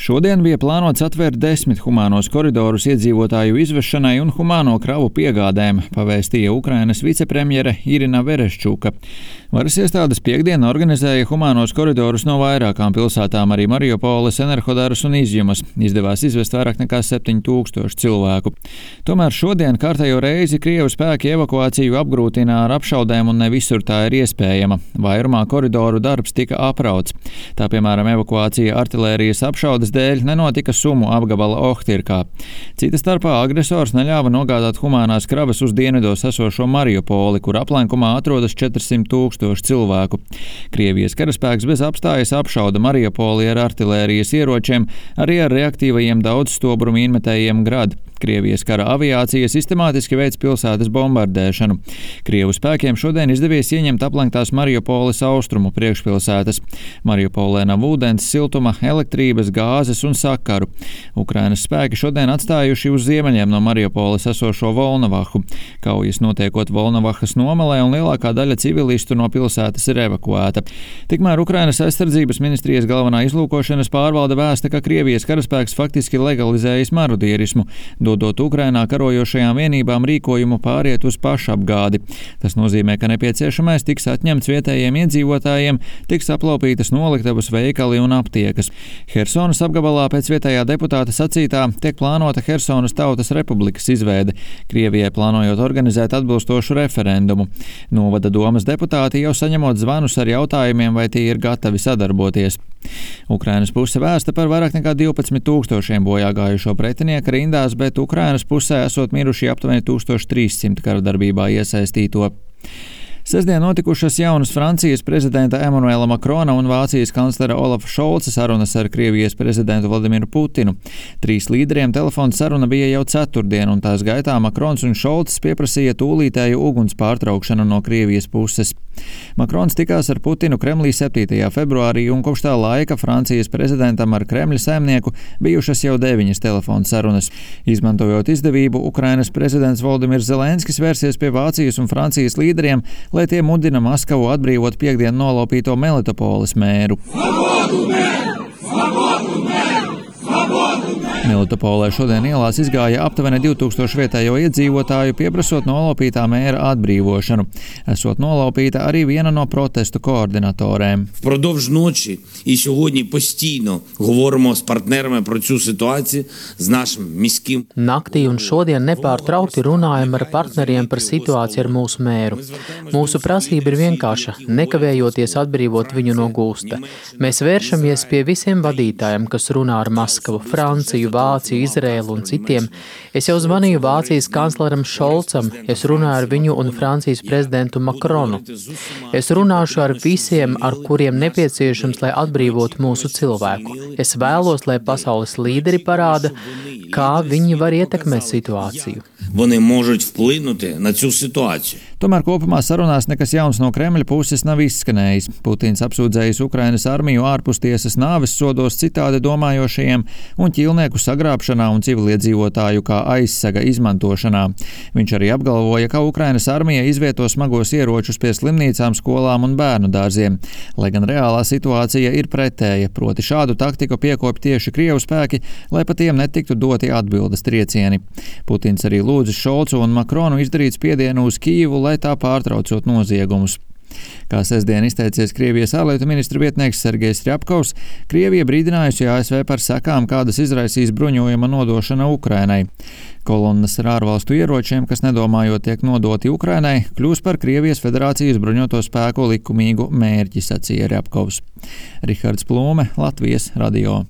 Šodien bija plānots atvērt 10 humānos koridorus iedzīvotāju izvešanai un humāno kravu piegādēm, pavēstīja Ukrainas vicepremjere Irina Vereščuka. Varas iestādes piekdien organizēja humānos koridorus no vairākām pilsētām, arī Mariupoles, Enerhodaras un Izjumas. Izdevās izvest vairāk nekā 7000 cilvēku. Tomēr šodien kārtējo reizi Krievu spēki evakuāciju apgrūtina ar apšaudēm un ne visur tā ir iespējama. Vairumā koridoru darbs tika aprauts. Tā, piemēram, evakuācija artilērijas apšaudes dēļ nenotika Sumu apgabala Ohtirkā. Cita starpā agresors neļāva nogādāt humānās kravas uz dienvidos esošo Mariupoli, kur aplenkumā atrodas 400 000 cilvēku. Krievijas karaspēks bez apstājas apšauda Mariupoli ar artilērijas ieročiem, arī ar reaktīvajiem daudzstobru mīnmetējiem Grad. Krievijas kara aviācija sistemātiski veic pilsētas bombardēšanu. Krievu spēkiem šodien izdevies ieņemt aplenktās Mariupoles austrumu priekšpilsētas. Mariupolē nav ūdens, siltuma, elektrības, gāzes un sakaru. Ukrainas spēki šodien atstājuši uz ziemeļiem no Mariupoles esošo Volnovahu. Kaujas notiekot Volnovahas nomalē un lielākā daļa civilistu no pilsētas ir evakuēta. Tikmēr Ukrainas aizsardzības ministrijas galvenā izlūkošanas pārvalde vēsta, ka Krievijas karaspēks faktiski legalizējis marodierismu, dodot Ukrainā karojošajām vienībām rīkojumu pāriet uz pašapgādi. Tas nozīmē, ka nepieciešamais tiks atņemts vietējiem iedzīvotājiem, tiks aplaupītas noliktavas, veikali un aptiekas. Hersonas apgabalā pēc vietējā deputāta sacītā tiek plānota Hersonas Tautas Republikas izveide, Krievijai plānojot organizēt atbilstošu referendumu. Novada domas deputāti jau saņemot zvanus ar jautājumiem, vai tie ir gatavi sadarboties. Ukrainas puse vēsta par vairāk nekā 12 000 bojā gājušo pretinieku rindās, bet Ukrainas pusē esot miruši aptuveni 1300 karadarbībā iesaistīto. Sestdien notikušas jaunas Francijas prezidenta Emanuela Makrona un Vācijas kanclera Olafa Šolca sarunas ar Krievijas prezidentu Vladimiru Putinu. 3 līderiem telefona saruna bija jau ceturtdien, un tās gaitā Makrons un Šolcs pieprasīja tūlītēju uguns pārtraukšanu no Krievijas puses. Makrons tikās ar Putinu Kremlī 7. februārī, un kopš tā laika Francijas prezidentam ar Kremļa saimnieku bijušas jau 9 telefona sarunas. Izmantojot izdevību, Ukrainas prezidents Volodimirs Zelenskis vērsies pie Vācijas un Francijas līderiem, lai tie mudina Maskavu atbrīvot piekdien nolaupīto Melitopoles mēru. Melitopolē šodien ielās izgāja aptuveni 2000 vietējo iedzīvotāju, pieprasot nolaupītā mēra atbrīvošanu. Esot nolaupīta arī viena no protestu koordinatorēm. Впродовж ночі і сьогодні постійно говоримо з партнерами про цю ситуацію, з нашим міським. Naktī un šodien nepārtraukti runājam ar partneriem par situāciju ar mūsu mēru. Mūsu prasība ir vienkārša, nekavējoties atbrīvot viņu no gūsta. Mēs vēršamies pie visiem vadītājiem, kas runā ar Maskavu, Franciju, Vāciju, Izraēlu un citiem. Es jau zvanīju Vācijas kancleram Šolcam, es runāju ar viņu un Francijas prezidentu Makronu. Es runāšu ar visiem, ar kuriem nepieciešams, lai atbrīvotu mūsu cilvēku. Es vēlos, lai pasaules līderi parāda, kā viņi var ietekmēt situāciju. Вони можуть вплинути на цю ситуацію. Tomēr kopumā sarunās nekas jauns no Kremļa puses nav izskanējis. Putins apsūdzējis Ukrainas armiju ārpustiesas nāves sodos citādi domājošajiem un ķīlnieku sagrābšanā un civiliedzīvotāju kā aizsaga izmantošanā. Viņš arī apgalvoja, ka Ukrainas armija izvieto smagos ieročus pie slimnīcām, skolām un bērnu dārziem. Lai gan reālā situācija ir pretēja, proti šādu taktiku piekopj tieši Krievu spēki, lai pa tiem netiktu doti atbildes triecieni. Putins arī lūdza Šolcu un Makronu izdarīt spiedienu uz Kijivu, lai tā pārtraucot noziegumus. Kā sestdien izteicies Krievijas ārlietu ministra vietnieks Sergejs Rjapkovs, Krievija brīdinājusi ASV par sekām, kādas izraisīs bruņojuma nodošana Ukrainai. Kolonnas ar ārvalstu ieročiem, kas nedomājot tiek nodoti Ukrainai, kļūs par Krievijas federācijas bruņoto spēku likumīgu mērķi, sacīja Rjapkovs. Rihards Plūme, Latvijas radio.